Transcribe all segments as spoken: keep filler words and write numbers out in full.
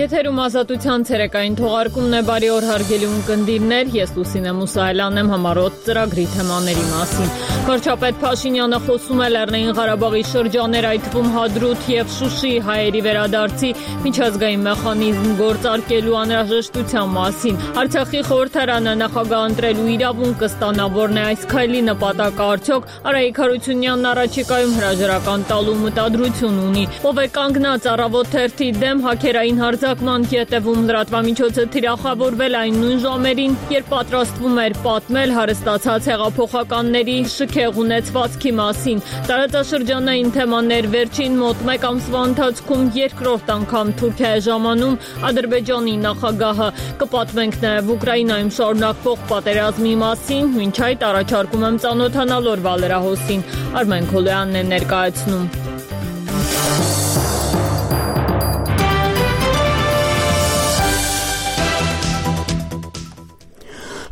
Եթերում ազատության ցերեկային թողարկումն է, բարի օր հարգելի ունկնդիրներ, ես Լուսինե Մուսայելյանն եմ համառոտ ծրագրի թեմաների մասին։ Վարչապետ Փաշինյանը խոսում է Լեռնային Ղարաբաղի շրջաներ, այդ թվում Հադրութ եւ Շուշի հայերի վերադարձի միջազգային մեխանիզմ գործարկելու անհրաժեշտության մասին։ Արցախի խորհրդարանը նախագահ ընտրելու իրավունք կստանա, որն է այս քայլի նպատակը, արդյոք Արայիկ Հարությունյանն առաջիկայում հրաժարական տալու մտադրություն ունի։ Ով է կանգնած Առավոտ թերթի դեմ հաքերային հարձակման հետևում, լրատվամիջոցը թիրախավորվել այն նույն ժամերին, երբ պատրաստվում էր պատմել հարստացած հեղափոխականների շքեղ ունեցվածքի մասին։ Տարածաշրջանային թեմաներ, վերջին մոտ մեկ ամսվա ընթացքում երկրորդ անգամ Թուրքիա է ժամանում Ադրբեջանի նախագահը։ Կպատմենք նաև Ուկրաինայում շարունակվող պատերազմի մասին, մինչ այդ առաջարկում եմ ծանոթանալ օրվա լրահոսին։ Արմեն Քոլոյանն է ներկայացնում։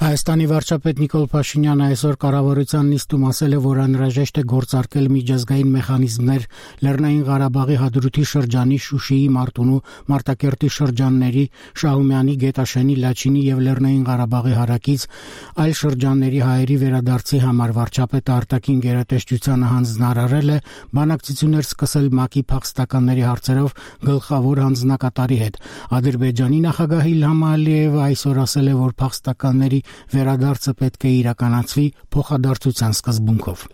Հայաստանի վարչապետ Նիկոլ Փաշինյանը այսօր կառավարության նիստում ասել է, որ անհրաժեշտ է գործարկել միջազգային մեխանիզմներ Լեռնային Ղարաբաղի Հադրութի շրջանի, Շուշիի, Մարտունու, Մարտակերտի շրջանների, Շահումյանի, Գետաշենի, Լաչինի եւ Լեռնային Ղարաբաղի հարակից այլ շրջանների հայերի վերադարձի համար։ Վարչապետը արտաքին գերատեսչությանը հանձնարարել է բանակցություններ սկսել ՄԱԿ-ի փախստականների հարցերով գլխավոր հանձնակատարի հետ։ Ադրբեջանի նախագահ Իլհամ Ալիևը այսօր ասել է, որ փախստականների վերադարձը պետք է իրականացվի փոխադարձության սկզբունքով։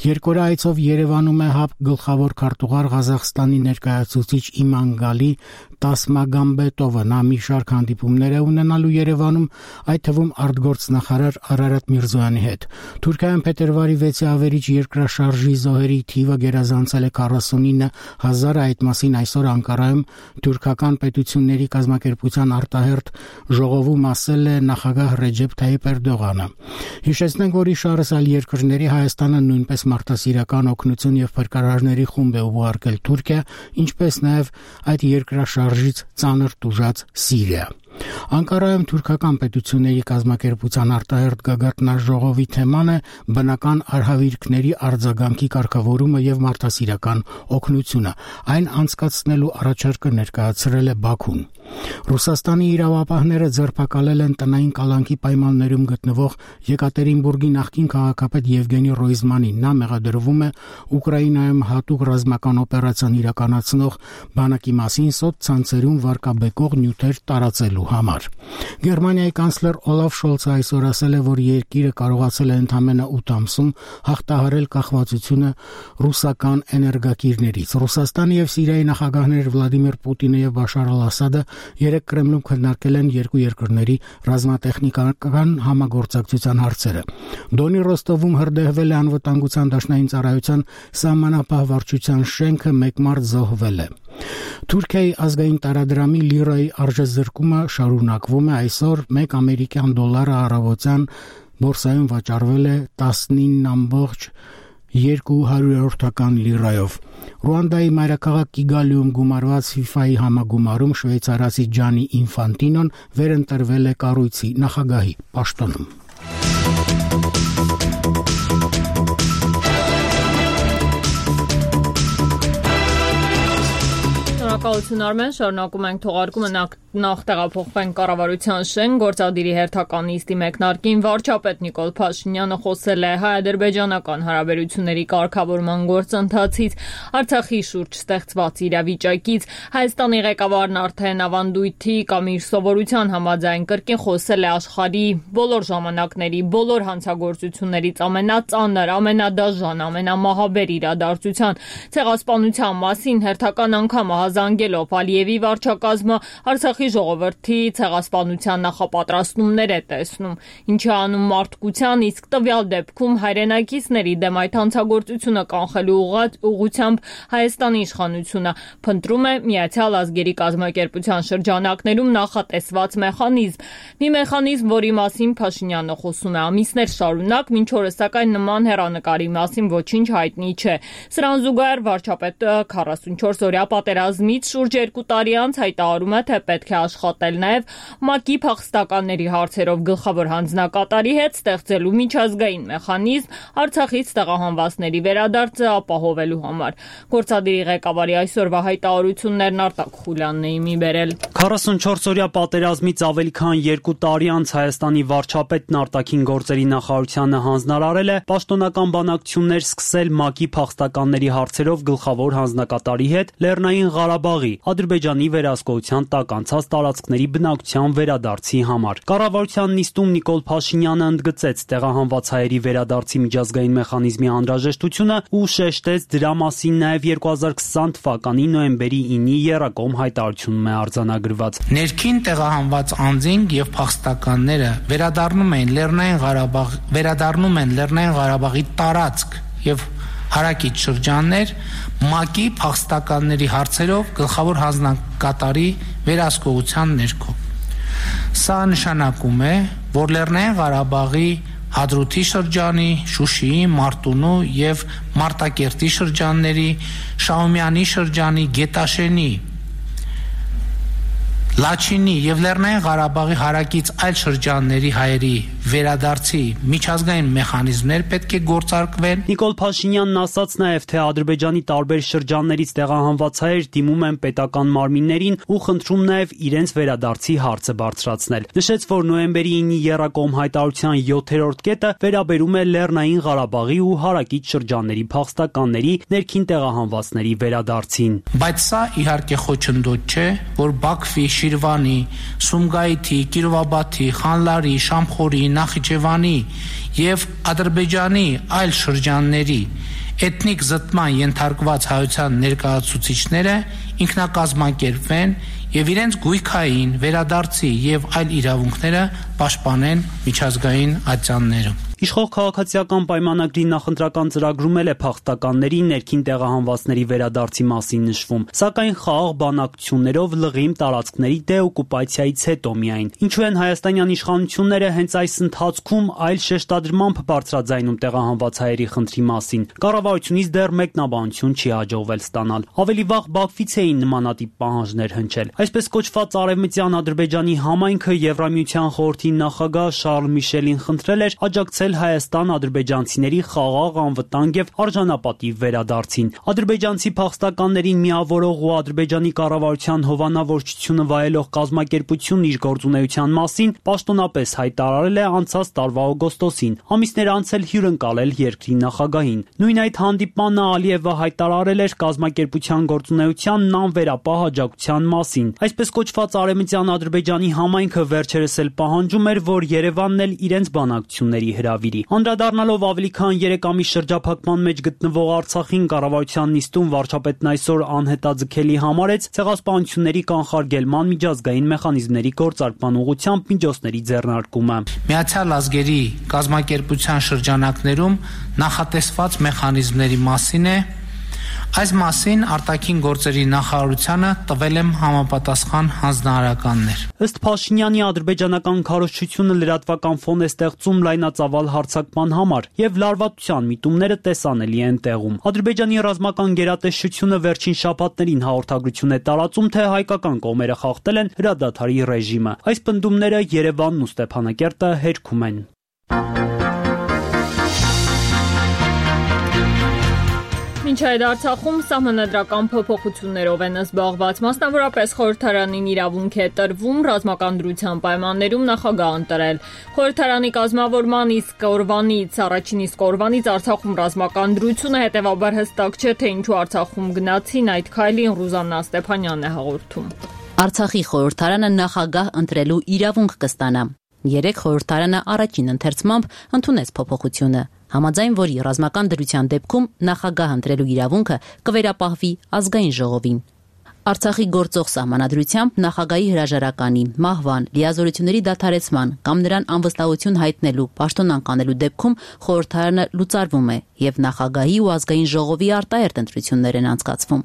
Երկօրյա այցով Երևանում է ՀԱՊ գլխավոր քարտուղար Ղազախստանի ներկայացուցիչ Իմանգալի Տասմագամբետովը։ Նա մի շարք հանդիպումներ է ունենալու Երևանում, այդ թվում արտգործնախարար Արարատ Միրզոյանի հետ։ Թուրքիայում փետրվարի վեցի ավերիչ երկրաշարժի զոհերի թիվը գերազանցել է քառասունինը հազարը, այդ մասին այսօր Անկարայում թուրքական պետությունների կազմակերպության արտահերթ ժողովում ասել է նախագահ Ռեջեփ Թայիփ Էրդողանը։ Հիշեցնենք, որ իշարս այլ երկրների Հայաստանը նույնպես մարդասիրական օգնություն եւ փրկարարների խումբ է ուղարկել Թուրքիա, ինչպես նաեւ այդ երկրաշարժից ծանր տուժած Սիրիա։ Անկարայում թուրքական պետությունների կազմակերպության արտահերթ գագաթնաժողովի թեման է բնական արհավիրքների արձագանքի կարգավորումը եւ մարդասիրական օգնությունը։ Այն անցկացնելու առաջարկը ներկայացրել է Բաքուն։ Ռուսաստանի իրավապահները ձերբակալել են տնային կալանքի պայմաններում գտնվող Եկատերինբուրգի նախկին քաղաքապետ Եվգենի Ռոյզմանին։ Նա մեղադրվում է Ուկրաինայում հատուկ ռազմական օպերացիան իրականացնող բանակի մասին սոցցանցերում վարկաբեկող նյութեր տարածելու համար։ Գերմանիայի կանցլեր Օլաֆ Շոլցը այսօր ասել է, որ երկիրը կարողացել է ընդամենը ութ ամսում հաղթահարել կախվածությունը ռուսական էներգակիրներից։ Ռուսաստանի եւ Սիրիայի նախագահներ Վլադիմիր Պուտինը եւ Բաշար Ալ-Ասադը երեկ Կրեմլում քննարկել են երկու երկրների ռազմատեխնիկական համագործակցության հարցերը։ Դոնի Ռոստովում հրդեհվել է անվտանգության դաշնային ծառայության սահմանապահ վարչության շենքը, մեկ մարդ զոհվել է։ Թուրքիայի ազգային տարադրամի լիրայի արժեզրկումը շարունակվում է։ Այսօր մեկ ամերիկյան դոլարը առավոտյան բորսայում վաճառվել է տասնինը երկու հարյուրորդական լիրայով։ Ռուանդայի մայրաքաղաք Կիգալիում գումարված ֆիֆայի համագումարում շվեյցարացի Ջանի Ինֆանտինոն վերընտրվել է կառույցի նախագահի պաշտոնում։ Շնորհակալություն Արմեն, շարունակում ենք թողարկումը, նախ տեղափոխվենք կառավարության շենք, գործադիրի հերթական նիստի մեկնարկին վարչապետ Նիկոլ Փաշինյանը խոսել է հայ-ադրբեջանական հարաբերությունների կարգավորման գործընթացից, Արցախի շուրջ ստեղծված իրավիճակից։ Հայաստանի ղեկավարն արդեն ավանդույթի կամ իր սովորության համաձայն կրկին խոսել է աշխարհի բոլոր ժամանակների, բոլոր հանցագործություններից ամենածանր, ամենադաժան, ամենամահաբեր իրադարձության ցեղասպանության մասին հերթական անգամ ահազանգելով Ալիևի վարչակազմը Արցախի ժողովրդի ցեղասպանության նախապատրաստումներ է տեսնում, ինչի անում մարդկության, իսկ տվյալ դեպքում հայրենակիցների դեմ այդ հանցագործությունը կանխելու ուղղությամբ Հայաստանի իշխանությունը փնտրում է Միացյալ Ազգերի կազմակերպության շրջանակներում նախատեսված մեխանիզմ։ Մի մեխանիզմ, որի մասին Փաշինյանը խոսում է ամիսներ շարունակ, մինչ օրս սակայն նման հեռանկարի մասին ոչինչ հայտնի չէ։ Սրան զուգահեռ վարչապետը քառասունչորս օրյա պատերազմից շուրջ երկու տարի անց հայտարարում է, թե պետք է աշխատել նաև ՄԱԿ-ի փախստականների հարցերով գլխավոր հանձնակատարի հետ, ստեղծելու միջազգային մեխանիզմ Արցախից տեղահանվածների վերադարձը ապահովելու համար։ Գործադիրի ղեկավարի այսօրվա հայտարարություններն Արտակ Խուլյանն է մի բերել։ քառասունչորս-օրյա պատերազմից ավելի քան երկու տարի անց Հայաստանի վարչապետն արտաքին գործերի նախարարությանը հանձնարարել է պաշտոնական բանակցություններ սկսել ՄԱԿ-ի փախստականների հարցերով գլխավոր հանձնակատարի հետ Լեռնային Ղարաբաղի, Ադրբեջանի վերահսկողության տակ անցած տարածքների բնակչության վերադարձի համար։ Կառավարության նիստում Նիկոլ Փաշինյանը ընդգծեց տեղահանված հայերի վերադարձի միջազգային մեխանիզմի անհրաժեշտությունը ու շեշտեց դրա մասին նաև երկու հազար քսան թվականի նոյեմբերի ինի եռակողմ հայտարարությունում է արձանագրված։ Ներքին տեղահանված անձինք եւ փախստականները վերադառնում են Լեռնային Ղարաբաղ, վերադառնում են Լեռնային Ղարաբաղի տարածք եւ հարակից շրջաններ ՄԱԿ-ի փախստականների հարցերով գլխավոր հանձնակատարի վերահսկողության ներքո։ Սա նշանակում է, որ Լեռնային Ղարաբաղի Հադրութի շրջանի, Շուշիի, Մարտունու եւ Մարտակերտի շրջանների, Շահումյանի շրջանի, Գետաշենի, Լաչինի եւ Լեռնային Ղարաբաղի հարակից այլ շրջանների հայերի վերադարձի միջազգային մեխանիզմներ պետք է գործարկվեն։ Նիկոլ Փաշինյանն ասաց նաև, թե Ադրբեջանի տարբեր շրջաններից տեղահանված հայեր դիմում են պետական մարմիններին ու խնդրում նաև իրենց վերադարձի հարցը բարձրացնել։ Նշեց, որ նոյեմբերի ինի եռակողմ հայտարարության յոթերորդ կետը վերաբերում է Լեռնային Ղարաբաղի ու հարակից շրջանների փախստականների ներքին տեղահանվածների վերադարձին։ Բայց սա իհարկե խոչընդոտ չէ, որ Բաքվի, Շիրվանի, Սումգայիթի, Կիրովաբադի, Խանլարի, Շամխորի, Նախիջևանի եւ Ադրբեջանի այլ շրջանների էթնիկ զտման ենթարկված հայության ներկայացուցիչները ինքնակազմակերպվեն եւ իրենց գույքային վերադարձի եւ այլ իրավունքները պաշտպանեն միջազգային ատյաններում։ Իշխող քաղաքացիական պայմանագրի նախընտրական ծրագրում էլ է փախստականների ներքին տեղահանվածների վերադարձի մասին նշվում, սակայն խաղաղ բանակցություններով լղիմ տարածքների դեօկուպացիայից հետո միայն։ Ինչու են հայաստանյան իշխանությունները հենց այս ընթացքում այլ շեշտադրմամբ բարձրաձայնում տեղահանված հայերի խնդրի մասին։ Կառավարությունից դեռ մեկնաբանություն չի հաջողվել ստանալ։ Ավելի վաղ Բաքվից էին նմանատիպ պահանջներ հնչել։ Այսպես կոչված արևմտյան Ադրբեջանի համայնքը Եվրամիության խորհրդի նախագահ Շարլ Միշելին խնդրել էր աջակցել Հայաստան ադրբեջանցիների խաղաղ, անվտանգ եւ արժանապատիվ վերադարձին։ Ադրբեջանցի փախստականներին միավորող ու Ադրբեջանի կառավարության հովանավորչությունը վայելող կազմակերպությունն իր գործունեության մասին պաշտոնապես հայտարարել է անցած տարվա օգոստոսին, ամիսներ անց էլ հյուրընկալել երկրի նախագահին։ Նույն այդ հանդիպմանը Ալիևը հայտարարել էր կազմակերպության գործունեությանն անվերապահ աջակցության մասին։ Այսպես կոչված արևմտյան Ադրբեջանի համայնքը վերջերս էլ պահանջում էր, որ Երևանն էլ իրենց բանակցությունների հրավիրի։ Անդրադառնալով ավելի քան երեք ամիս շրջափակման մեջ գտնվող Արցախին, կառավարության նիստում վարչապետն այսօր անհետաձգելի համարեց ցեղասպանությունների կանխարգելման միջազգային մեխանիզմների գործարկման ուղղությամբ միջոցների ձեռնարկումը։ Միացյալ Ազգերի կազմակերպության շրջանակներում նախատեսված մեխանիզմների մասին է Այս մասին արտաքին գործերի նախարարությանը տվել եմ համապատասխան հանձնարարականներ։ Ըստ Փաշինյանի ադրբեջանական քարոզչությունը լրատվական ֆոն է ստեղծում լայնածավալ հարձակման համար եւ լարվածության միտումները տեսանելի են տեղում։ Ադրբեջանի ռազմական գերատեսչությունը վերջին շաբաթներին հաղորդագրություն է տարածում, թե հայկական կողմերը խախտել են հրադադարի ռեժիմը։ Այս պնդումները Երևանն ու Ստեփանակերտը հերքում են։ Մինչ այդ Արցախում սահմանադրական փոփոխություններով են զբաղված, մասնավորապես խորհրդարանին իրավունք է տրվում ռազմական դրության պայմաններում նախագահ ընտրել։ Խորհրդարանի կազմավորման իսկ օրվանից, առաջին իսկ օրվանից Արցախում ռազմական դրությունը, հետևաբար հստակ չէ, թե ինչու Արցախում գնացին այդ քայլին, Ռուզաննա Ստեփանյանն է հաղորդում։ Արցախի խորհրդարանը նախագահ ընտրելու իրավունք կստանա։ Երեք խորհրդարանը առաջին ընթերցմամբ ընդունեց փոփոխությունը, համաձայն որի ռազմական դրության դեպքում նախագահ ընտրելու իրավունքը կվերապահվի ազգային ժողովին։ Արցախի գործող սահմանադրությամբ նախագահի հրաժարականի, մահվան, լիազորությունների դադարեցման կամ նրան անվստահություն հայտնելու, պաշտոն անկանելու դեպքում խորհրդարանը լուծարվում է եւ նախագահի ու ազգային ժողովի արտահերթ ընտրություններ են անցկացվում։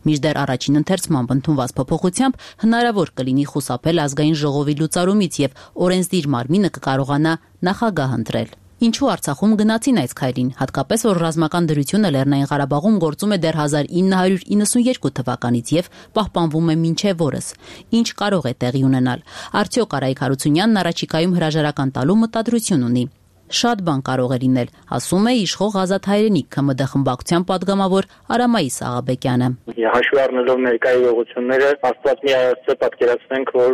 Մինչդեռ առաջին ընթերցմամբ ընդունված փոփոխությամբ հնարավոր կլինի խուսափել ազգային ժողովի լուծարումից եւ օրենսդիր մարմինը կկարողանա նախագահ ընտրել։ Ինչու Արցախում գնացին այս քայլին, հատկապես որ ռազմական դրությունը Լեռնային Ղարաբաղում գործում է դեռ հազար ինը հարյուր իննսունյերկու թվականից եւ պահպանվում է մինչեւ օրս։ Ինչ կարող է տեղի ունենալ։ Արդյոք Արայիկ Հարությունյանն առաջիկայում հրաժարական տալու մտադրություն ունի։ Շատ բան կարող է լինել, ասում է իշխող Ազատ հայրենիք ՔՄԴ խմբակցության падգամավոր Արամայիս Աղաբեկյանը։ Հաշվի առնելով ներկայ իրողությունները, Աստված մի այստեղ պատկերացնենք, որ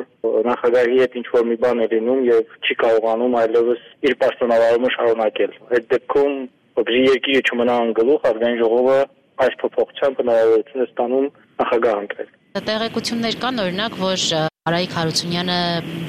նախագահի հետ ինչ որ մի բան է լինում եւ չի կարողանում այլևս իր պաշտոնավարումը շարունակել։ Այդ դեպքում բրի երկիրը չմնա անգլուխ, ազգային ժողովը այս փոփոխությամբ հնարավորություն է ստանում նախագահ ընտրել։ Տեղեկություններ կան, օրինակ, որ Արայիկ Հարությունյանը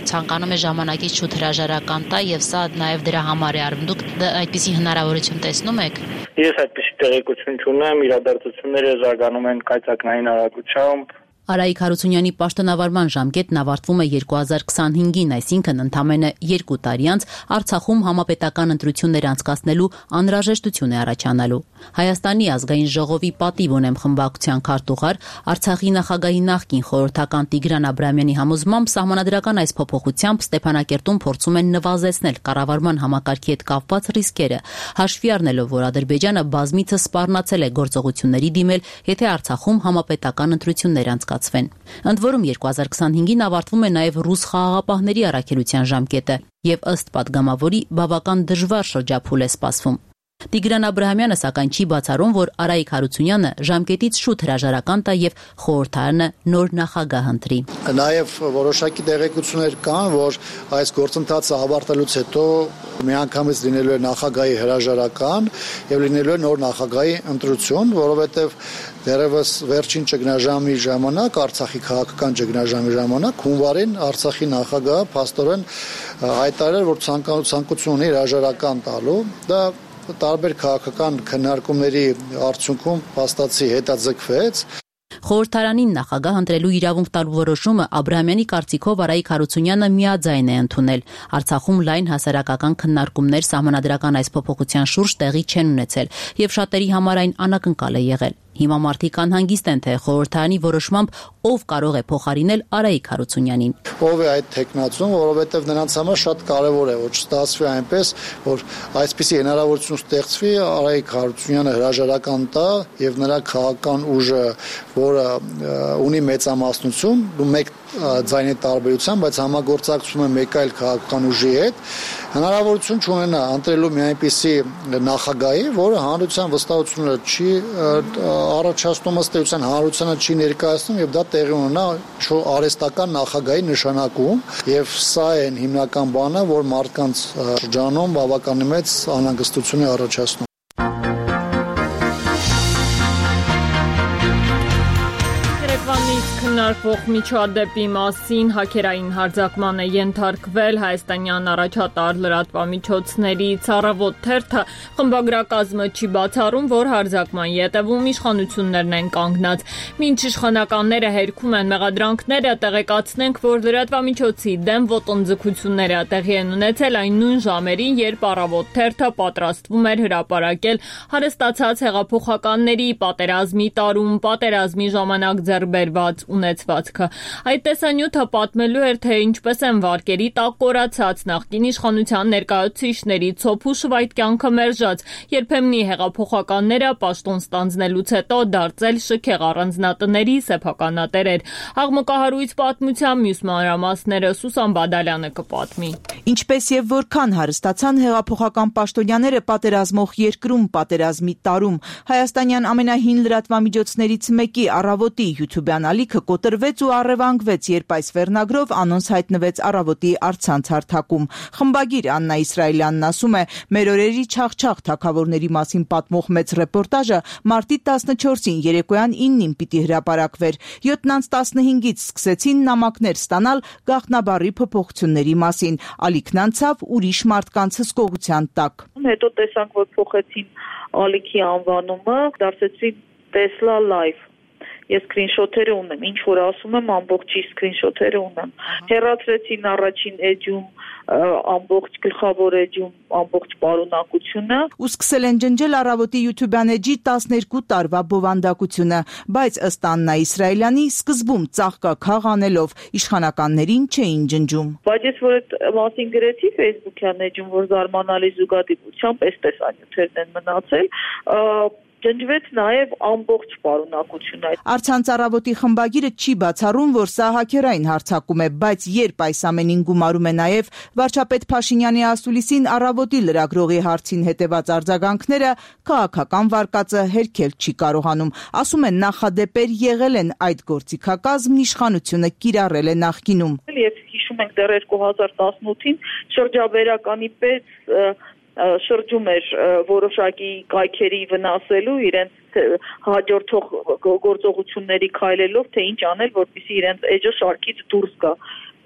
ցանկանում է ժամանակից շուտ հրաժարական տա եւ սա նաեւ դրա համար է արվում։ Դուք այդպիսի հնարավորություն տեսնում եք։ Ես այդպիսի տեղեկություն չունեմ, իրադարձությունները զարգանում են կայծակնային արագությամբ։ Արայիկ Հարությունյանի պաշտոնավարման ժամկետն ավարտվում է երկու հազար քսանհինգին, այսինքն ընդամենը երկու տարի անց Արցախում համապետական ընտրություններ անցկացնելու անհրաժեշտություն է առաջանալու։ Հայաստանի ազգային ժողովի պատիվ ունեմ խմբակցության քարտուղար, Արցախի նախագահի նախկին խորհրդական Տիգրան Աբրահամյանի համոզմամբ սահմանադրական այս փոփոխությամբ Ստեփանակերտում փորձում են նվազեցնել կառավարման համակարգի հետ կապված ռիսկերը, հաշվի առնելով, որ Ադրբեջանը բազմիցս սպառնացել է գործողությունների դիմել, եթե Արցախում համապետական ընտրություններ անցկացվեն։ Ընդ որում երկու հազար քսանհինգին ավարտվում է նաև ռուս խաղաղապահների առաքելության ժամկետը եւ ըստ падգամավորի բավական դժվար շրջափուլ է սպասվում։ Տիգրան Աբրահամյանը սակայն չի բացառում, որ Արայիկ Հարությունյանը ժամկետից շուտ հրաժարական տա եւ խորհրդարանը նոր նախագահ ընտրի։ Նաեւ որոշակի տեղեկություններ կան, որ այս գործընթացը ավարտելուց հետո միանգամից լինելու է նախագահի հրաժարական եւ լինելու է նոր նախագահի ընտրություն, որովհետեւ դերևս վերջին ճգնաժամի ժամանակ, Արցախի քաղաքական ճգնաժամի ժամանակ հունվարին Արցախի նախագահը փաստորեն հայտարարել, որ ցանկություն ունի հրաժարական տալու։ Դա տարբեր քաղաքական քննարկումների արդյունքում փաստացի հետաձգվեց։ Խորհրդարանին նախագահ ընտրելու իրավունք տալու որոշումը Աբրահամյանի կարծիքով Արայիկ Հարությունյանը միաձայն է ընդունել։ Արցախում լայն հասարակական քննարկումներ սահմանադրական այս փոփոխության շուրջ տեղի չեն ունեցել եւ շատերի համար այն անակնկալ է եղել։ Հիմա մարդիկ անհանգիստ են, թե խորհրդարանի որոշմամբ ով կարող է փոխարինել Արայիկ Հարությունյանին։ Ով է այդ տեխնացում, որովհետև նրանց համար շատ կարևոր է, որ չստացվի այնպես, որ այսպիսի հնարավորություն ստեղծվի Արայիկ Հարությունյանը հրաժարական տա եւ նրա քաղաքական ուժը, որը ունի մեծամասնություն, ու մեկ ձայնի տարբերությամբ, բայց համագործակցում է մեկ այլ քաղաքական ուժի հետ, հնարավորություն չունենա ընտրելու մի այնպիսի նախագահի, որը հանրության վստահությունը չի առաջացնում, ըստ էության հանրությանը չի ներկայացնում եւ դա տեղի ունենա արհեստական նախագահի նշանակում եւ սա է հիմնական բանը, որ մարդկանց շրջանում բավականին մեծ անհանգստություն է առաջացնում։ Քննարկվող միջադեպի մասին հակերային հարձակման է ենթարկվել հայաստանյան առաջատար լրատվամիջոցներից Առավոտ թերթը խմբագրակազմը չի բացառում, որ հարձակման ետևում իշխանություններն են կանգնած։ Մինչ իշխանականները հերքում են մեղադրանքները, տեղեկացնենք, որ լրատվամիջոցի դեմ ոտնձգությունները տեղի են ունեցել այն նույն ժամերին, երբ Առավոտ թերթը պատրաստվում էր հրապարակել հարստացած հեղափոխականների պատերազմի տարում, պատերազմի ժամանակ ձեռքբերված ունեցվածքը։ Այդ տեսանյութը պատմելու էր, թե ինչպես են վարկերի տակ կորացած նախկին իշխանության ներկայացուցիչների ցոփ ու շվայտ կյանքը մերժած, երբեմնի հեղափոխականները պաշտոն ստանձնելուց հետո դարձել շքեղ առանձնատների սեփականատերեր։ Աղմկահարույց պատմության մյուս մանրամասները Սուսան Բադալյանը կպատմի։ Ինչպես եւ որքան հարստացան հեղափոխական պաշտոնյաները պատերազմող երկրում պատերազմի տարում, հայաստանյան ամենահին լրատվամիջոցներից մեկի Առավոտի յութուբյան ալիքը կոտրվեց ու առևանգվեց, երբ այս վերնագրով անոնց հայտնվեց Առավոտի առցանց հարթակում։ Խմբագիր Աննա Իսրայելյանն ասում է, մեր օրերի չաղչաղ թագավորների մասին պատմող մեծ ռեպորտաժը մարտի տասնչորսին երեկոյան իննին պիտի հրապարակվեր։ յոթն անց տասնհինգից սկսեցին նամակներ ստանալ գաղտնաբառի փոփոխությունների մասին։ Ալիքն անցավ ուրիշ մարդկանց հսկողության տակ։ Հետո տեսանք, որ փոխեցին ալիքի անվանումը, դարձեցին Tesla Live։ ես սկրինշոթերը ունեմ, ինչ որ ասում եմ, ամբողջի սկրինշոթերը ունեմ։ Հեռացրեցին առաջին էջում ամբողջ գլխավոր էջում ամբողջ պարունակությունը ու սկսել են ջնջել Առավոտի YouTube-յան էջի տասներկու տարվա բովանդակությունը, բայց ըստ Աննա Իսրայելյանի սկզբում ծաղկաքաղ անելով իշխանականներին չէին ջնջում։ Բայց ես որ այդ մասին գրեցի Facebook-յան էջում, որ զարմանալի զուգադիպությամբ այս տեսանյութերն են մնացել, ջնջվեց նաև ամբողջ պարունակությունը։ Առցանց Առավոտի խմբագիրը չի բացառում, որ սա հաքերային հարձակում է, բայց երբ այս ամենին գումարում է նաև վարչապետ Փաշինյանի ասուլիսին Առավոտի լրագրողի հարցին հետևած արձագանքները, քաղաքական վարկածը հերքել չի կարողանում։ Ասում են նախադեպեր եղել են այդ գործիքակազմն իշխանությունը կիրառել է նախկինում։ Եվ հիշում ենք դեռ երկու հազար տասնութին շրջաբերականի պես շրջում էր որոշակի կայքերի վնասելու իրենց հաջորդող գործողությունների քայլելով, թե ինչ անել, որպեսզի իրենց էջը շարքից դուրս գա։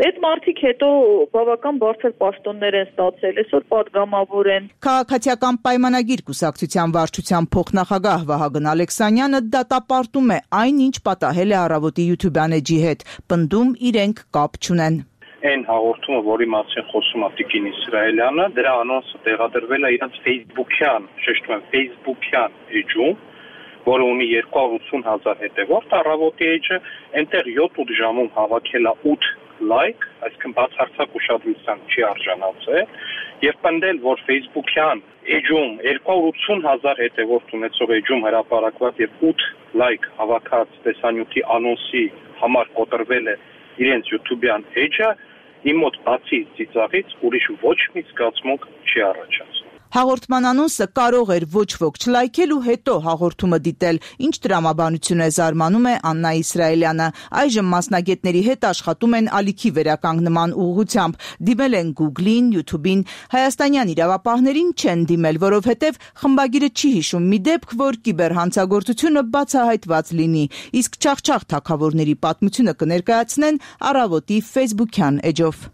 Այդ մարդիկ հետո բավական բարձր պաշտոններ են ստացել, այսօր պատգամավոր են։ Քաղաքացիական պայմանագիր կուսակցության վարչության փոխնախագահ Վահագն Ալեքսանյանը դատապարտում է այն, ինչ պատահել է Առավոտի YouTube-յան էջի հետ, պնդում իրենք կապ չունեն։ Այն հաղորդումը, որի մասին խոսում է Տիկին Իսրայելյանը, դրա անոնսը տեղադրվել է իրենց Facebook-յան, շեշտում եմ Facebook-յան էջում, որը ունի երկու հարյուր ութսուն հազար հետևորդ, Առավոտի էջը այնտեղ յոթ ժամում հավաքել է ութ լայք, այսինքն բացարձակ ուշադրության չի արժանացել, եւ պնդել, որ Facebook-յան էջում երկու հարյուր ութսուն հազար հետևորդ ունեցող էջում հրապարակված եւ ութ լայք հավաքած տեսանյութի անոնսի համար կոտրվել է իրենց YouTube-յան էջը, իմ մոտ բացի ծիծաղից ուրիշ ոչ մի զգացմունք չի առաջացնում։ Հաղորդման անոնսը կարող էր ոչ ոք չլայքել ու հետո հաղորդումը դիտել, ինչ տրամաբանություն է զարմանում է Աննա Իսրայելյանը։ Այժմ մասնագետների հետ աշխատում են ալիքի վերականգնման ուղղությամբ, դիմել են Google-ին, YouTube-ին, հայաստանյան իրավապահներին չեն դիմել, որովհետև խմբագիրը չի հիշում մի դեպք, որ կիբերհանցագործությունը բացահայտված լինի, իսկ չախչախ թագավորների պատմությունը կներկայացնեն Առավոտի Facebook-յան էջով։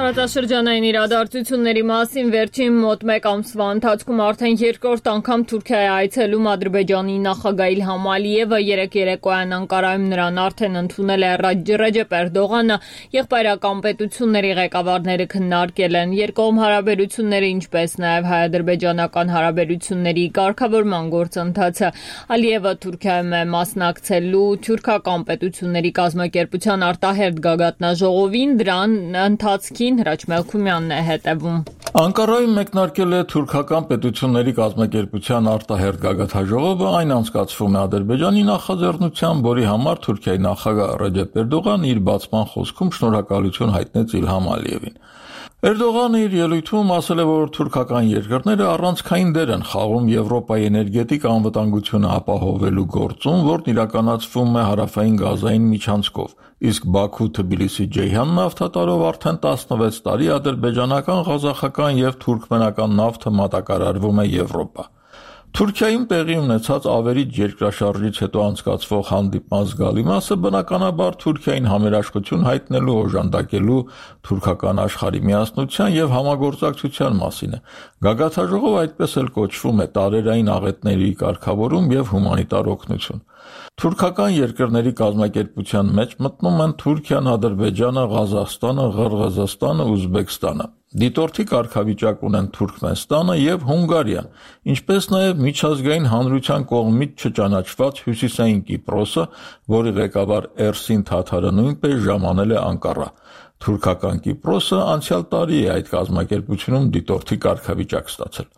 Տարածաշրջանային իրադարձությունների մասին վերջին մոտ մեկ ամսվա ընթացքում արդեն երկրորդ անգամ Թուրքիա է այցելում Ադրբեջանի նախագահ Իլհամ Ալիևը, երեկ երեկոյան Անկարայում նրան արդեն ընդունել է Ռեջեփ Էրդողանը, եղբայրական պետությունների ղեկավարները քննարկել են երկկողմ հարաբերությունները, ինչպես նաև հայ-ադրբեջանական հարաբերությունների կարգավորման գործընթացը։ Ալիևը Թուրքիայում է մասնակցելու թուրքական պետությունների կազմակերպության արտահերթ գագաթնաժողովին, դրան ընթացքին Հրաչ Մելքումյանն է հետևում։ Անկարայում մեկնարկել է թուրքական պետությունների կազմակերպության արտահերթ գագաթնաժողովը, այն անցկացվում է Ադրբեջանի նախաձեռնությամբ, որի համար Թուրքիայի նախագահ Ռեջեփ Էրդողանը իր բացման խոսքում շնորհակալություն հայտնեց Իլհամ Ալիևին։ Էրդողանը իր ելույթում ասել է, որ թուրքական երկրները առանցքային դեր են խաղում Եվրոպայի էներգետիկ անվտանգությունը ապահովելու գործում, որն իրականացվում է հարավային գազային միջանցքով, իսկ Բաքու-Թբիլիսի-Ջեյհան նավթատարով արդեն տասնվեց տարի ադրբեջանական, ղազախական եւ թուրքմենական նավթը մատակարարվում է Եվրոպա։ Թուրքիայում տեղի ունեցած ավերիչ երկրաշարժից հետո անցկացվող հանդիպման զգալի մասը բնականաբար Թուրքիային համերաշխություն հայտնելու, օժանդակելու թուրքական աշխարհի միասնության եւ համագործակցության մասին է։ Գագաթնաժողովը այդպես էլ կոչվում է տարերային աղետների կարգավորում եւ հումանիտար օգնություն։ Թուրքական երկրների կազմակերպության մեջ մտնում են Թուրքիան, Ադրբեջանը, Ղազախստանը, Ղրղըզստանը, Ուզբեկստանը։ Դիտորդի կարգավիճակ ունեն Թուրքմենստանը եւ Հունգարիան, ինչպես նաեւ միջազգային հանրության կողմից չճանաչված Հյուսիսային Կիպրոսը, որի ղեկավար Էրսին Թաթարը նույնպես ժամանել է Անկարա։ Թուրքական Կիպրոսը անցյալ տարի է այդ կազմակերպությունում դիտորդի կարգավիճակ ստացել։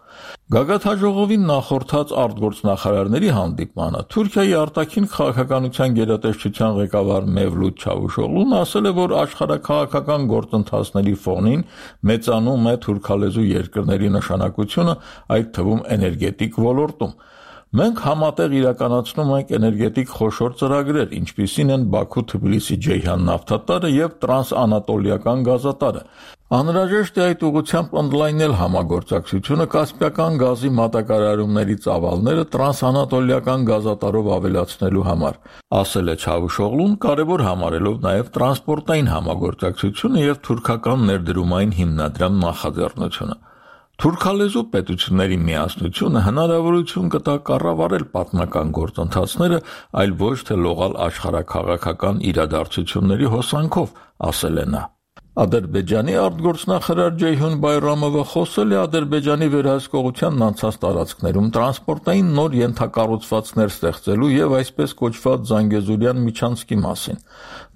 Գագաթնաժողովին նախորդած արտգործնախարարների հանդիպմանը Թուրքիայի արտաքին քաղաքականության գերատեսչության ղեկավար Մևլութ Չավուշօղլուն ասել է, որ աշխարհաքաղաքական գործընթացների ֆոնին մեծանում է թուրքալեզու երկրների նշանակությունը, այդ թվում էներգետիկ ոլորտում։ Մենք համատեղ իրականացնում ենք էներգետիկ խոշոր ծրագրեր, ինչպիսին են Բաքու-Թբիլիսի-Ջեյհան նավթատարը եւ տրանսանատոլիական գազատարը։ Անհրաժեշտ է այդ ուղղությամբ ընդլայնել համագործակցությունը Կասպիական գազի մատակարարումների ծավալները տրանսանատոլիական գազատարով ավելացնելու համար, ասել է Չավուշօղլուն, կարևոր համարելով նաեւ տրանսպորտային համագործակցությունը եւ թուրքական ներդրումային հիմնադրամ նախաձեռնությունը։ Թուրքալեզու պետությունների միասնությունը հնարավորություն կտա կառավարել պատմական գործընթացները, այլ ոչ թե լողալ աշխարհաքաղաքական իրադարձությունների հոսանքով, ասել է նա։ Ադրբեջանի արտգործնախարար Ջեյհուն Բայրամովը խոսել է Ադրբեջանի վերահսկողությանն անցած տարածքներում տրանսպորտային նոր ենթակառուցվածքներ ստեղծելու եւ այսպես կոչված Զանգեզուրյան միջանցքի մասին։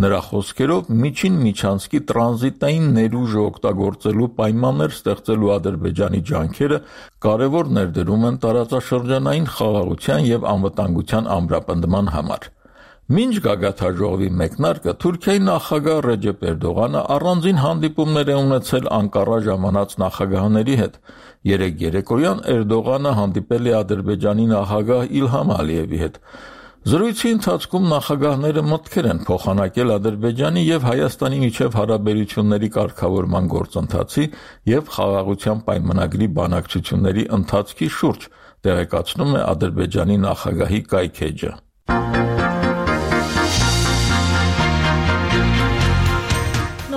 Նրա խոսքերով միջին միջանցքի տրանզիտային ներուժը օգտագործելու պայմաններ ստեղծելու Ադրբեջանի ջանքերը կարևոր ներդրում են տարածաշրջանային խաղաղության եւ անվտանգության ամրապնդման համար։ Մինչ գագաթաժողովի մեկնարկը Թուրքիայի նախագահ Ռեջեփ Էրդողանը առանձին հանդիպումներ է ունեցել Անկարա ժամանած նախագահների հետ։ Երեկ երեկոյան Էրդողանը հանդիպել է Ադրբեջանի նախագահ Իլհամ Ալիևի հետ։ Զրույցի ընթացքում նախագահները մտքեր են փոխանակել Ադրբեջանի եւ Հայաստանի միջև հարաբերությունների կարգավորման գործընթացի եւ խաղաղության պայմանագրի բանակցությունների ընթացքի շուրջ, տեղեկացնում է Ադրբեջանի նախագահի կայքէջը։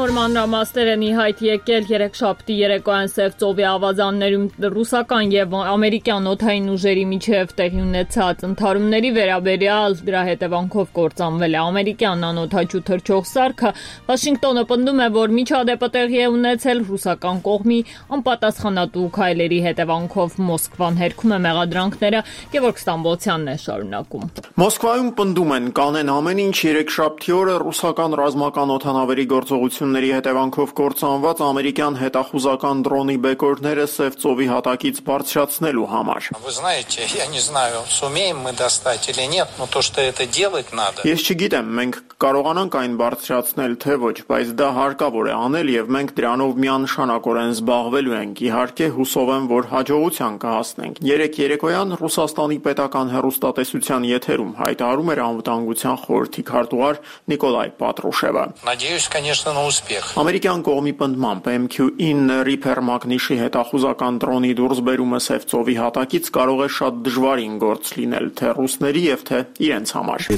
Նոր մանրամասներ են ի հայտ եկել երեքշաբթի երեկոյան Սև ծովի ավազաններում ռուսական եւ ամերիկյան օդային ուժերի միջև տեղի ունեցած ընդհարումների վերաբերյալ դրա հետևանքով կործանվել է ամերիկյան անօդաչու թռչող սարքը։ Վաշինգտոնը պնդում է, որ միջադեպը տեղի է ունեցել ռուսական կողմի անպատասխանատու քայլերի հետևանքով։ Մոսկվան հերքում է մեղադրանքները։ Գևորգ Ստամբոլցյանն է շարունակում։ Մոսկվայում պնդում են կանեն ամեն ինչ երեքշաբթի օրը ռուսական ռազմական օդանավերի գործողությունների հետևանքով կործանված ամերիկյան հետախուզական դրոնի բեկորները Սև ծովի հատակից բարձրացնելու համար։ Ես չգիտեմ, մենք կարողանանք այն բարձրացնել թե ոչ, բայց դա հարկավոր է անել եւ մենք դրանով միանշանակորեն զբաղվելու ենք։ Իհարկե հուսով եմ, որ հաջողության կհասնենք։ Երեք երեկոյան Ռուսաստանի պետական հեռուստատեսության եթերում հայտարարում էր անվտանգության խորհրդի քարտուղար Նիկոլայ Պատրուշևը։ Ամերիկյան կողմի պնդմամբ Էմ քյու ինը Reaper մագնիշի հետախուզական դրոնի դուրսբերումը Սև ծովի հատակից կարող է շատ դժվարին գործ լինել թե ռուսների եւ թե իրենց համար։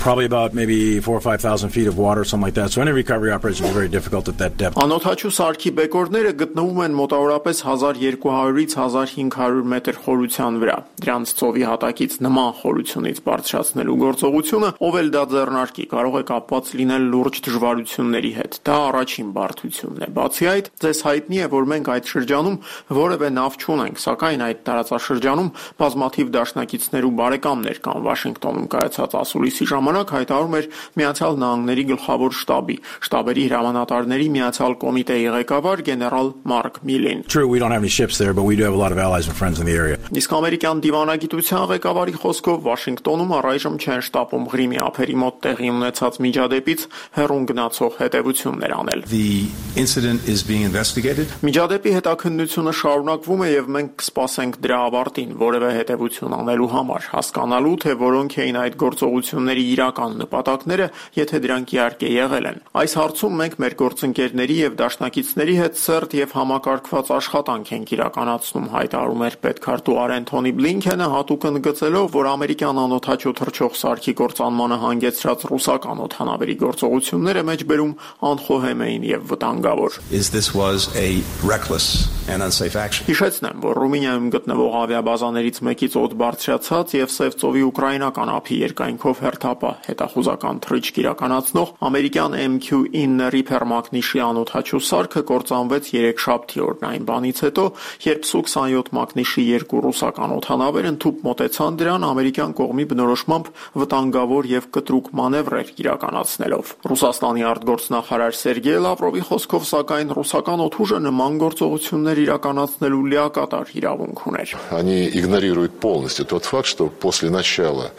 Probably about maybe four or five thousand feet of water, something like that. So any recovery operation is very difficult at that depth. Անօդաչու սարքի բեկորները գտնվում են մոտավորապես հազար երկու հարյուրից հազար հինգ հարյուր մետր խորության վրա։ Դրանց ծովի հատակից նման խորությունից բարձրացնելու գործողությունը, ով էլ դա ձեռնարկի, կարող է կապված լինել լուրջ դժվարությունների հետ։ Դա առաջին բարդությունն է։ Բացի այդ, ձեզ հայտնի է, որ մենք այդ շրջանում որևէ նավ չունենք, սակայն այդ տարածաշրջանում բազմաթիվ դաշնակիցներ ու բարեկամներ կան։ Վաշինգտոնում կայացած ասուլիսի ժամանակ հայտարարում էր Միացյալ Նահանգների գլխավոր շտաբի շտաբերի հրամանատարների միացյալ կոմիտեի ղեկավար գեներալ Մարկ Միլին։ True, we don't have any ships there, but we do have a lot of allies and friends in the area. Իսկ ամերիկյան դիվանագիտության ղեկավարի խոսքով Վաշինգտոնում առայժմ չեն շտապում Ղրիմի ափերի մոտ տեղի ունեցած միջադեպից հեռուն գնացող հետևություններ անել։ The incident is being investigated. Միջադեպի հետաքննությունը շարունակվում է եւ մենք կսպասենք դրա ավարտին որևէ հետևություն անելու համար, հասկանալու թե որոնք էին այդ գործողությունների իրական նպատակները, եթե դրանք իհարկե եղել են։ Այս հարցում մենք մեր գործընկերների եւ դաշնակիցների հետ սերտ եւ համակարգված աշխատանք ենք իրականացնում, հայտարարում էր պետքարտուղար Անթոնի Բլինքենը, հատուկ ընդգծելով, որ ամերիկյան անօդաչու թռչող սարքի կործանմանը հանգեցրած ռուսական օդանավերի գործողությունները մեջբերում անխոհեմ էին եւ վտանգավոր։ This was a reckless and unsafe action. Հիշեցնեմ, որ Ռումինիայում գտնվող ավիաբազաներից մեկից օդ բարձրացած եւ Սև ծովի ուկրաինական ափի երկայնքով հերթապահ հետախուզական թռիչք իրականացնող ամերիկյան Էմ քյու ինը Reaper մագնիշի անօդաչու սարքը կործանվեց երեքշաբթի օրն այն բանից հետո, երբ Սու քսանյոթ մագնիշի երկու ռուսական օդանավեր ընդհուպ մոտեցան դրան ամերիկյան կողմի բնորոշմամբ վտանգավոր եւ կտրուկ մանևրեր իրականացնելով։ Ռուսաստանի արտգործնախարար Սերգեյ Լավրովի խոսքով սակայն ռուսական օդուժը նման գործողություններ իրականացնելու լիակատար իրավունք ուներ։ Они игнорируют полностью тот факт, что после начала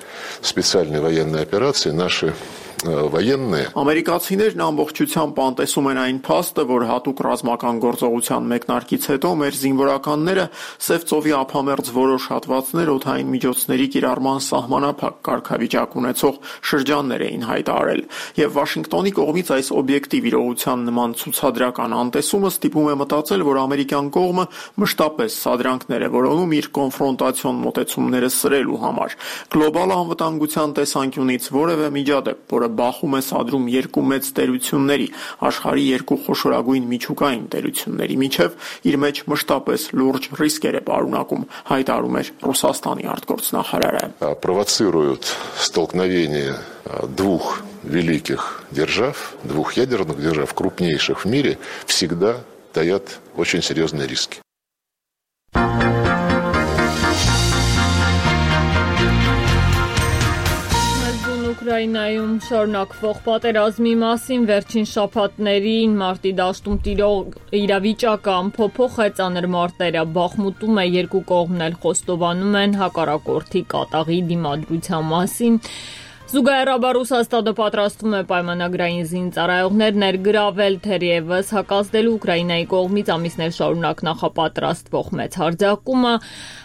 специальной военной операции наши военные Ամերիկացիներն ամբողջությամբ անտեսում են այն փաստը, որ հատուկ ռազմական գործողության մեկնարկից հետո մեր զինվորականները Սև ծովի ափամերձ որոշ հատվածներ օդային միջոցների կիրառման սահմանափակ կարգավիճակ ունեցող շրջաններ էին հայտարարել, եւ Վաշինգտոնի կողմից այս օբյեկտիվ իրողության նման ցուցադրական անտեսումը ստիպում է մտածել, որ ամերիկյան կողմը մշտապես սադրանքներ է որոնում իր կոնֆրոնտացիոն մոտեցումները սրելու համար։ Գլոբալ անվտանգության տեսանկյունից որևէ միջադեպ, որը բախում է սադրում երկու մեծ տերությունների, աշխարհի երկու խոշորագույն միջուկային տերությունների միջև, իր մեջ մշտապես լուրջ ռիսկեր է պարունակում, հայտարարում էր Ռուսաստանի արտգործնախարարը։ Провоцируют столкновение двух великих держав, двух ядерных держав, крупнейших в мире, всегда таят очень серьезные риски. Ուկրաինայում շարունակվող պատերազմի մասին վերջին շաբաթներին մարտի դաշտում տիրող իրավիճակը ամփոփող է ծանր մարտերը Բախմուտում է, երկու կողմն էլ խոստովանում են հակառակորդի կատաղի դիմադրության մասին։ Զուգահեռաբար Ռուսաստանը պատրաստվում է պայմանագրային զինծառայողներ ներգրավել, թերևս հակազդելու Ուկրաինայի կողմից ամիսներ շարունակ նախապատրաստվող մեծ հարձակումը,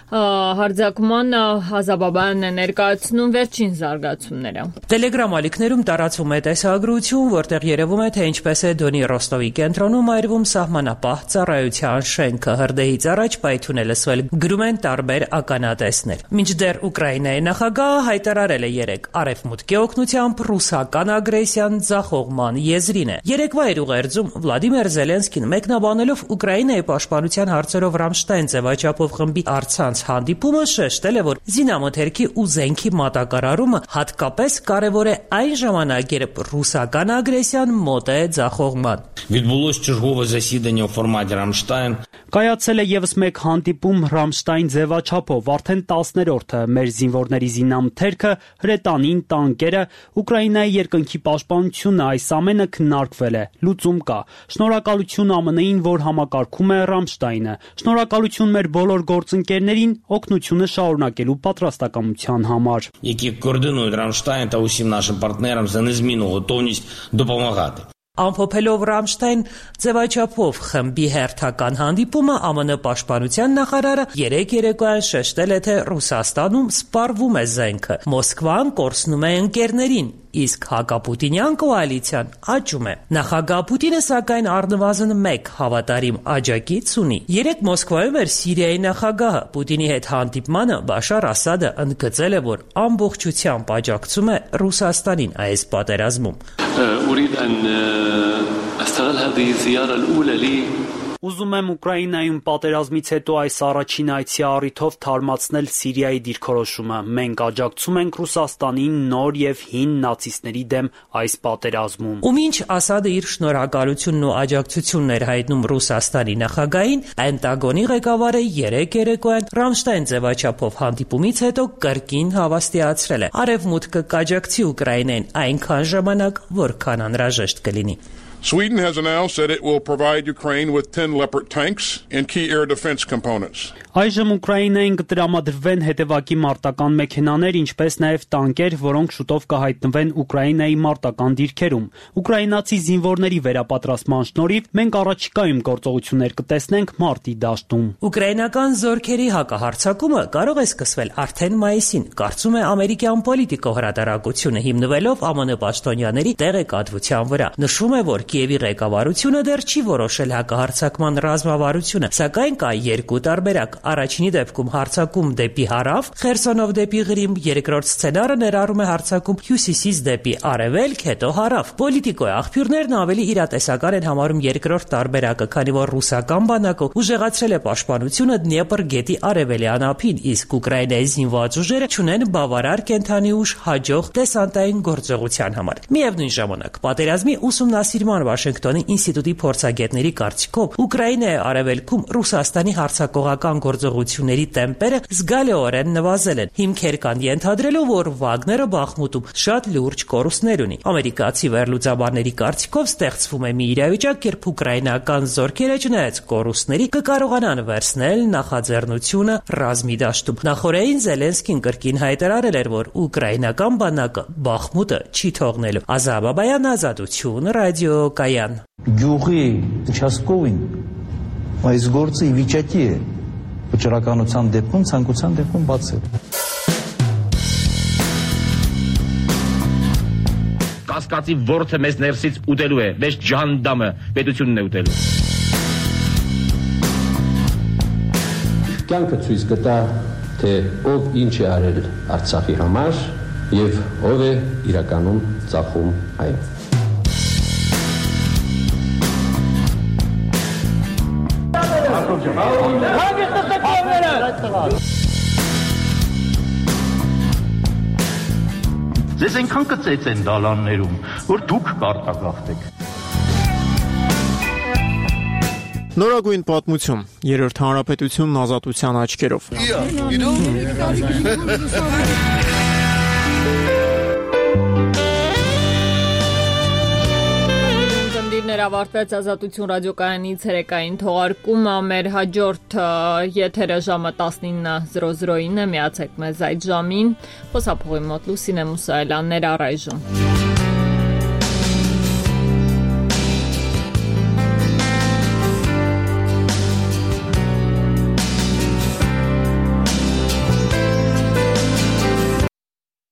հարձակման Ազաբաբանն է ներկայացնում վերջին զարգացումները։ Տելեգրամ ալիքներում տարածվում է տեսագրություն, որտեղ երևում է, թե ինչպես է Դոնի Ռոստովի կենտրոնում այրվում սահմանապահ ծառայության շենքը, հրդեհից առաջ պայթուն է լսվել, գրում են տարբեր ականատեսներ։ Մինչդեռ Ուկրաինայի նախագահը հայտարարել է երեկ արևմուտքի օգնությամբ ռուսական ագրեսիան ձախողման եզրին է։ Երեկվա իր ուղերձում Վլադիմիր Զելենսկին մեկնաբանելով Ուկրաինայի պաշտպանության հարցերով Ռամշտայն ձևաչափով խմբի առցանց հանդիպումը շեշտել է, որ զինամթերքի ու զենքի մատակարարումը հատկապես կարևոր է այն ժամանակ, երբ ռուսական ագրեսիան մոտ է ձախողման։ Відбулось чергове засідання у форматі Рамштайн. Կայացել է եւս մեկ հանդիպում Ռամշտայն ձևաչափով, արդեն տասներորդը մեր զինվորների զինամթերքը, հրետանին, տանկերը, Ուկրաինայի երկնքի պաշտպանությունը, այս ամենը քննարկվել է, լուծում կա։ Շնորհակալություն ԱՄՆ -ին, որ համակարգում է Ռամշտայնը։ Շնորհակալություն մեր բոլոր գործընկերներին օգնությունը շարունակելու պատրաստակամության համար։ Які координують Рамштайн та усім нашим партнерам за незмінну готовність допомагати. Ամփոփելով Ռամշտայն ձևաչափով խմբի հերթական հանդիպումը ԱՄՆ պաշտպանության նախարարը երեք երեկոյան շեշտել է, թե Ռուսաստանում սպառվում է զենքը, Մոսկվան կորցնում է ընկերներին, իսկ հակապուտինյան կոալիցիան աճում է։ Նախագահ Պուտինը սակայն առնվազն մեկ հավատարիմ աջակից ունի։ Երեք Մոսկվայում էր Սիրիայի նախագահը։ Պուտինի հետ հանդիպմանը Բաշար Ասադը ընդգծել է, որ ամբողջությամբ աջակցում է Ռուսաստանին այս պատերազմում։ أستغل هذه الزيارة الأولى لي Ուզում եմ Ուկրաինայում պատերազմից հետո այս առաջին այցի առիթով թարմացնել Սիրիայի դիրքորոշումը։ Մենք աջակցում ենք Ռուսաստանին նոր եւ հին նացիստների դեմ այս պատերազմում։ Ու մինչ Ասադը իր շնորհակալությունն ու աջակցությունն էր հայտնում Ռուսաստանի նախագահին, Պենտագոնի ղեկավարը երեք երեկոյան Ռամշտայն ձևաչափով հանդիպումից հետո կրկին հավաստիացրել է. Արևմուտքը կաջակցի Ուկրաինային այնքան ժամանակ, որքան անհրաժեշտ կլինի։ Sweden has announced that it will provide Ukraine with ten Leopard tanks and key air defense components. Այժմ Ուկրաինային կտրամադրվեն հետևակի մարտական մեքենաներ, ինչպես նաև տանկեր, որոնք շուտով կհայտնվեն Ուկրաինայի մարտական դիրքերում։ Ուկրաինացի զինվորների վերապատրաստման շնորհիվ մենք առաջիկայում գործողություններ կտեսնենք մարտի դաշտում։ Ուկրաինական զորքերի հակահարձակումը կարող է սկսվել արդեն մայիսին, կարծում է ամերիկյան Պոլիտիկո հրատարակությունը, հիմնվելով ԱՄՆ պաշտոնյաների տեղեկատվության վրա։ Նշվում է, որ Կիևի ղեկավարությունը դեռ չի որոշել հակահարձակման ռազմավարությունը, սակայն կա երկու տարբերակ։ Առաջինի դեպքում հարձակում դեպի հարավ, Խերսոնով դեպի Ղրիմ, երկրորդ սցենարը ներառում է հարձակում հյուսիսից դեպի արևելք, հետո հարավ։ Պոլիտիկոյի աղբյուրներն ավելի իրատեսական են համարում երկրորդ տարբերակը, քանի որ ռուսական բանակը ուժեղացրել է պաշտպանությունը Դնեպր գետի արևելյան ափին, իսկ Ուկրաինայի զինված ուժերը չունեն բավարար կենթանի ուժ հաջող դեսանտային գործողության համար։ Միևնույն ժամանակ, պատերազմի ուսումնասիրման Վաշինգտոնի ինստիտուտի փորձագետների կարծիքով Ուկրաինայի արևելքում Ռուսաստանի հարձակողական գործողությունների տեմպերը զգալիորեն նվազել են։ Հիմքեր կան ենթադրելու, որ Վագները Բախմուտում շատ լուրջ կորուստներ ունի։ Ամերիկացի վերլուծաբանների կարծիքով ստեղծվում է մի իրավիճակ, երբ ուկրաինական զորքերը չնայած կորուստների կկարողանան վերցնել նախաձեռնությունը ռազմի դաշտում։ Նախորդին Զելենսկին կրկին հայտարարել էր, որ ուկրաինական բանակը Բախմուտը չի թողնելու։ Ազաբաբայան, Ազատություն, ռադիոկայան։ Գյուղի участковին այս գործը ի վիճակի է վճռականության դեպքում, ցանկության դեպքում բացել։ Կասկածի ворթը մեզ ներսից ուտելու է, մեզ ջանդամը պետությունն է ուտելու։ Կյանքը ցույց կտա, թե ով ինչ է արել Արցախի համար եւ ով է իրականում ծախում այն։ Ձեզ այնքան կծեց են դալաններում, որ դուք կարտագաղթեք։ Նորագույն պատմություն, երրորդ հանրապետությունն ազատության աչքերով։ Ավարտվեց Ազատություն ռադիոկայանի ցերեկային թողարկումը, մեր հաջորդ եթերը ժամը տասնինը զրո զրոին է, միացեք մեզ այդ ժամին, խոսափողի մոտ Լուսինե Մուսայելյաններ առայժմ։